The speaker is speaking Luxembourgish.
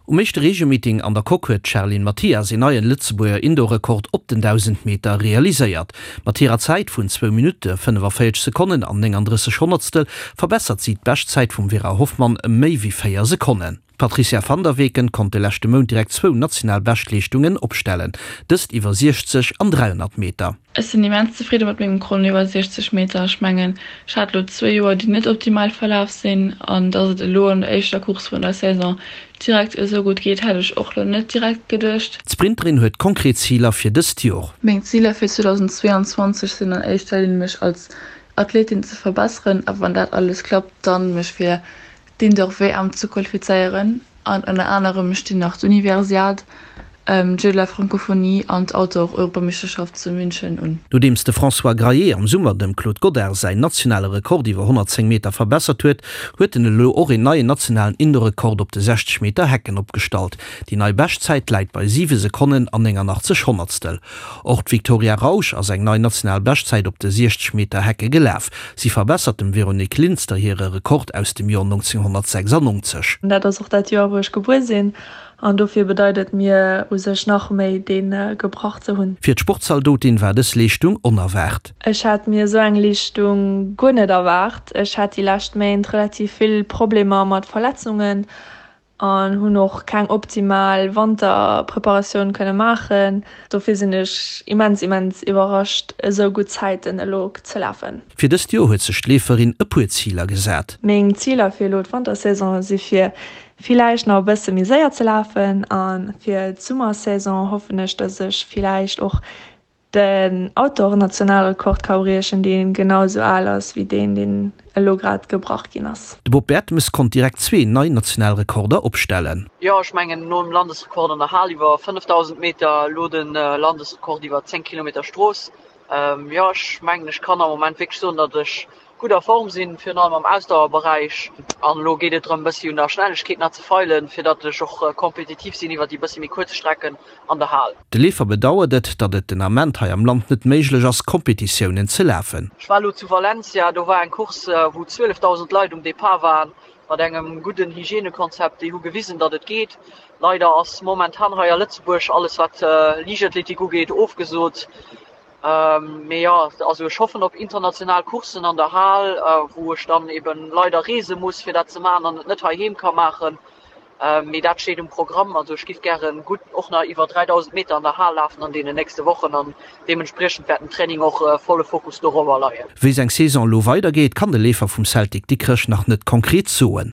Um éischte Regiomeeting an der Coque huet d'Charline Mathias een neien Lëtzebuerger Indoor-Rekord op den 1.000 Meter realiséiert. Mat hirer Zäit vun zwou Minutte, 45 Sekonnen an 39 Honnertstel verbessert si d'Beschtzäit vum Vera Hoffmann ëm méi wéi 4 Sekonnen. D'Patricia van der Weken konnt de leschte Mount direkt zwou national Beschtleeschtungen opstellen, dëst iwwer 60 an 300 Meter. Ech sinn immens zefridde mat mengem Chrono iwwer 60 Meter. Ech mengen, ech hat elo zwee Joer, déi net optimal verlaf sinn an dass et elo an der éischter Course vun der Saison direkt esou gutt geet, hätt ech och elo net direkt geduecht. D'Sprinterin huet konkret Ziler fir dëst Jor. Meng Ziler fir 2022 sinn an éischter Linn mech als Athletin ze verbesseren a wann dat alles klappt, dann mech fir d'Indoor-WM ze qualifizéieren an ënner anerem stinn nach d'Universiade, d'Jeux de la Francophonie an d'Outdoor-Europameeschterschaft zu München un. Nodeems de François Graillet am Summer dem Claude Godart säin nationale Rekord iwwer 110 Meter verbessert huet, huet en elo och een neien nationalen Indoor-Rekord op de 60 Meter Hecken opgestallt. Déi nei Beschtzäit läit bei 7 Sekonnen an 89 Honnertstel. Och d'Victoria Rausch ass eng nei national Beschtzäit op de 60 Meter Hecke gelaf. Si verbessert dem Véronique Linster hire Rekord aus dem Joer 1996. Dat ass och dat Joer wou ech gebuer sinn an dofir bedeit et mir u sech nach méi dee gebrach ze hunn. Fir d'Sportzaldotin war dës Leeschtung onerwaart. Ech hat mir esou eng Leeschtung guer net erwaart. Ech hat déi lescht Méint relativ vill Problemer mat Verletzungen An hunn och keng optimal Wanterpreparatioun kënne maachen. Dofir sinn ech immens immens iwwerrascht esou gutt Zäiten elo ze lafen. Fir dëst Joer huet sech d'Leeferin e puer Ziler gesat. Meng Ziler fir elo d'Wantersaison si fir villäicht nach e bësse méi séier ze lafen an fir d'Summersaison hoffen ech, dass ech villäicht och Den Outdoor-Nationalrekord ka briechen, dee genau esou al ass wéi deen, deen elo grad gebrach ginn ass. De Bob Bertemes konnt direkt zwee nei national Rekorder opstellen. Jo, ech mengen nom Landesrekord an der Hal iwwer 5000 Meter, elo de Landesrekord iwwer 10 Kilometer Strooss. Jo, ech mengen ech kann am Moment wierklech soen, datt ech gutt a Form sinn, virun allem am Ausdauerberäich. An elo geet et drëm, e bëssi un der Schnellegkeet nach ze feilen, fir datt ech och kompetitiv sinn iwwer déi bëssi méi kuerz Strecken an der Hal. De Leefer bedauert et, datt et den Ament hei am Land net méiglech ass, Kompetitiounen ze lafen. Ech war elo zu Valencia, do war eng Course, wou 12.000 Leit um Depart waren, mat engem gudden Hygienekonzept. Déi hu gewisen, datt et geet. Leider ass momentan hei a Lëtzebuerg alles, wat Liichtathletik ugeet, ofgesot. Mee jo, also ech hoffen op international Courssen an der Hal, wou ech dann eben leider reese muss, fir dat ze maachen an et net heiheem ka maachen. Mee dat steet um Programm. Also ech giff gären gutt och nach iwwer 3000 Meter an der Hal lafen an deenen nächste Wochen an deementspriechend wäert den Training och volle Fokus dorobber leien. Wéi seng Saison elo weidergeet, kann de Leefer vum Celtic Dikrech nach net konkret soen.